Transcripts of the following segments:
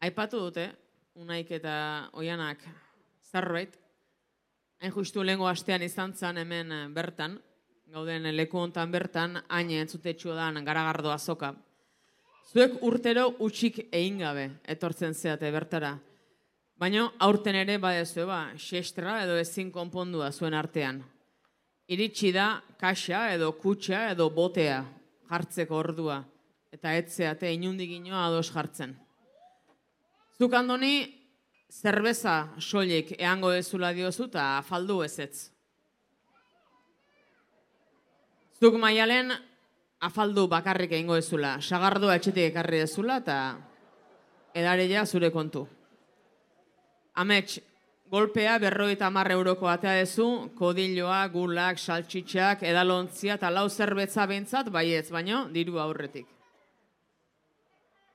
Aipatu dute, Unaik eta Oianak zerbait, hain justu lehengo astean izan zen hemen bertan, gauden leku hontan bertan, hain entzutetxu dan Garagardo azoka. Zuek urtero utxik egin gabe etortzen zeate bertara. Baina aurten ere badezu, xestra edo ezin konpondua zuen artean. Iritsi da kaxa edo kutxa edo botea jartzeko ordua, eta etzeate inundik inoa ados jartzen. Zuk Andoni, zerbeza soilik eango dezula diozu eta afaldu ezetz. Zuk Maialen afaldu bakarrik egingo dezula, sagardoa etxetik ekarri dezula eta edareia zure kontu. Amets, golpea 50 euroko atea dezu, kodilloa, gulak, saltxitxak, edalontzia eta lau zerbetza behintzat baietz, baino diru aurretik.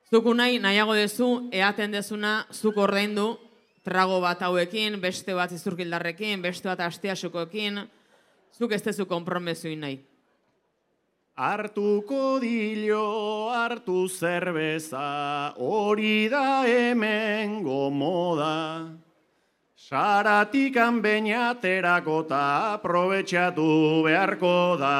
Zuk Unai nahiago dezu, eaten dezuna zuk ordaindu, trago bat hauekin, beste bat izurkildarrekin, beste bat astiasukoekin, zuk ez dezu konpromesuin nahi. Hartu kodillo, hartu zerbeza, hori da hemen gomoda. Saratikan beinaterako eta aprobetxatu beharko da.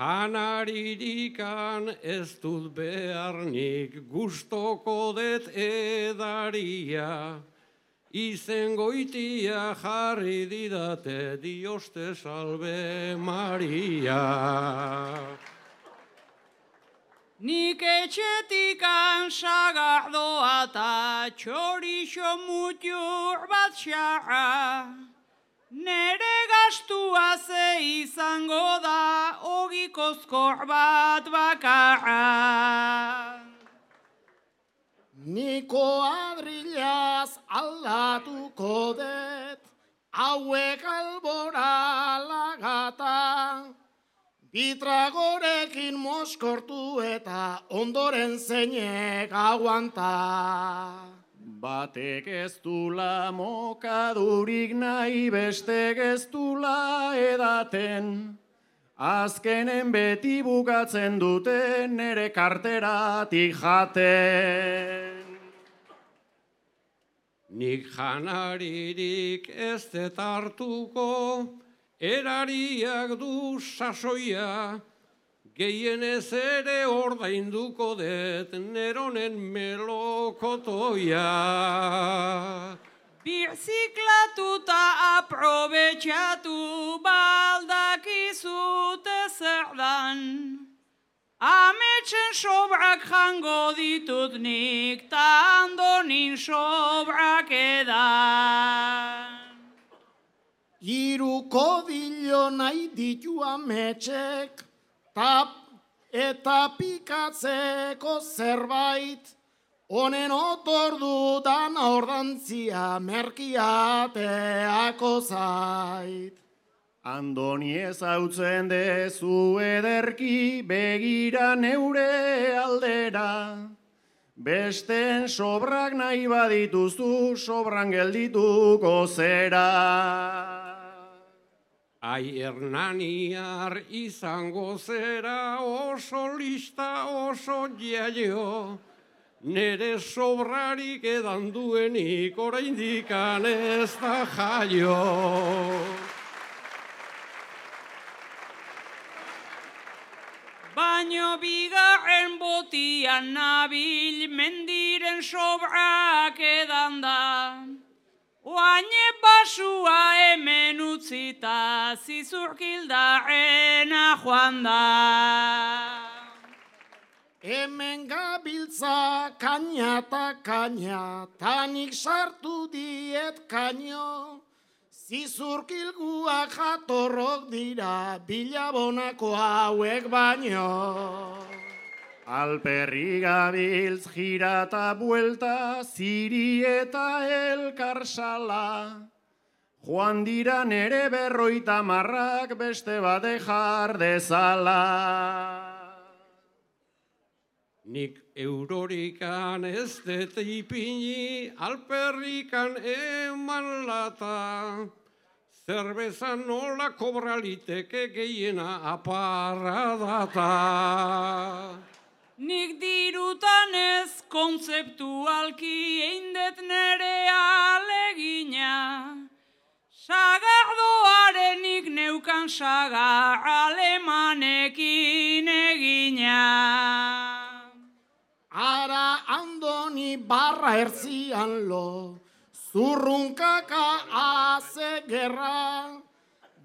Janaririkan ez dut beharnik gustoko det edaria. Izen goitia jarri didate Dioste salve Maria. Nik etxetikan sagardoa eta txorixo mutur bat xarra. Nere gastua ze izango da ogikozkor bat bakarra. Niko adrilaz aldatuko det, hauek albora lagata. Bitragorekin moskortu eta ondoren zeinek aguanta. Batek ez dula mokadurik nahi, bestek ez dula edaten. Azkenen beti bukatzen duten nere karteratik jaten. Nik janaririk ez det hartuko, erariak du sasoia, gehienez ere ordainduko det neronen melokotoia. Birziklatuta aprobetxatu baldakizute zer dan. Ametsen sobrak jango ditut nik, ta Andonin sobrak edan. Hiru kodillo nahi ditu ametsek, eta pikatzeko zerbait, honen otordu dan ordantzia merkiateako zait. Andoni ezautzen dezu ederki, begira neure aldera. Besten sobrak nahi badituzu, sobran geldituko zera. Ai Hernaniar izango zera oso lista oso jaio, nere sobrarik edan duenik oraindikan ez da jaio. Baino bigarren botian nabil mendiren sobrak edan da. Oaine basua hemen utzita zizurkildarrena joan da. Hemen gabiltza kaina eta kaina, tanik sartu diet kaino. Zizurkilguak jatorrok dira, bilabonako hauek baino. Alperri gabiltz gira eta buelta, ziri eta elkarsala. Joan dira nere 50 beste bade jar dezala. Nik eurorikan ez dut ipini, alperrikan eman lata. Zerbeza nola kobraliteke gehiena aparra data. Nik dirutan ez kontzeptualki eindet nere alegina, sagardoarenik neukan sagar alemanekin egina. Ara Andoni barra ertzian lo, zurrunkaka haze gerra,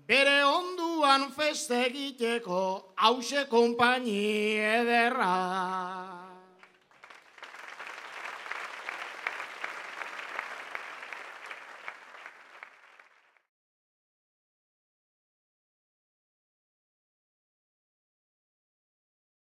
bere onduan feste egiteko hause konpaini ederra.